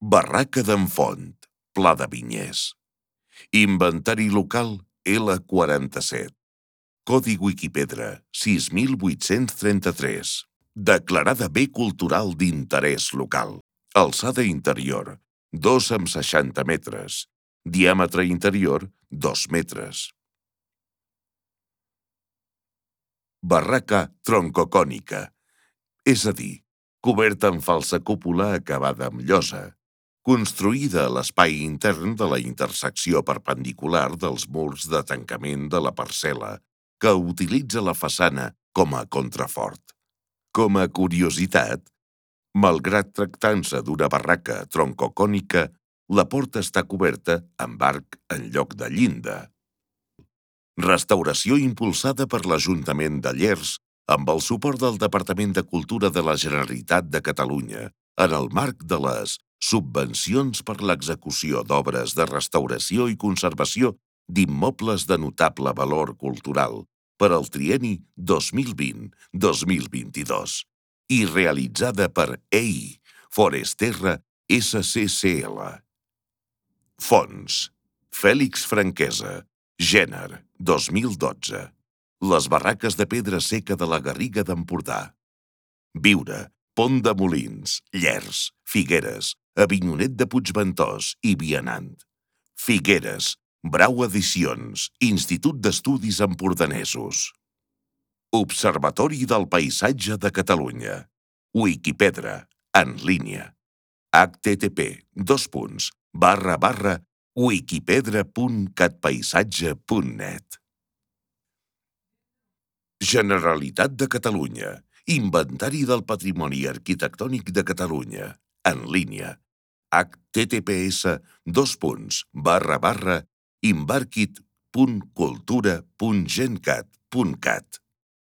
Barraca d'en Font, Pla de Vinyers. Inventari local L47. Codi Wikipedra 6833. Declarada bé cultural d'interès local. Alçada interior 2,60 metres. Diàmetre interior 2 metres. Barraca troncocònica, és a dir, coberta amb falsa cúpula acabada amb llosa, construïda a l'espai intern de la intersecció perpendicular dels murs de tancament de la parcel·la, que utilitza la façana com a contrafort. Com a curiositat, malgrat tractant-se d'una barraca troncocònica, la porta està coberta amb arc en lloc de llinda. Restauració impulsada per l'Ajuntament de Llers amb el suport del Departament de Cultura de la Generalitat de Catalunya en el marc de les subvencions per l'execució d'obres de restauració i conservació d'immobles de notable valor cultural per al trienni 2020-2022 i realitzada per EI Foresterra SCCL. Fons: Fèlix Franquesa, Gèner, 2012. Les barraques de pedra seca de la Garriga d'Empordà. Viure, Pont de Molins, Llers, Figueres, Avinyonet de Puigventós i Vianant. Figueres, Brau Edicions, Institut d'Estudis Empordanesos. Observatori del Paisatge de Catalunya. Wikipedra, en línia. http://wikipedra.catpaisatge.net. Generalitat de Catalunya. Inventari del Patrimoni Arquitectònic de Catalunya. En línia. https://inbarkit.cultura.gencat.cat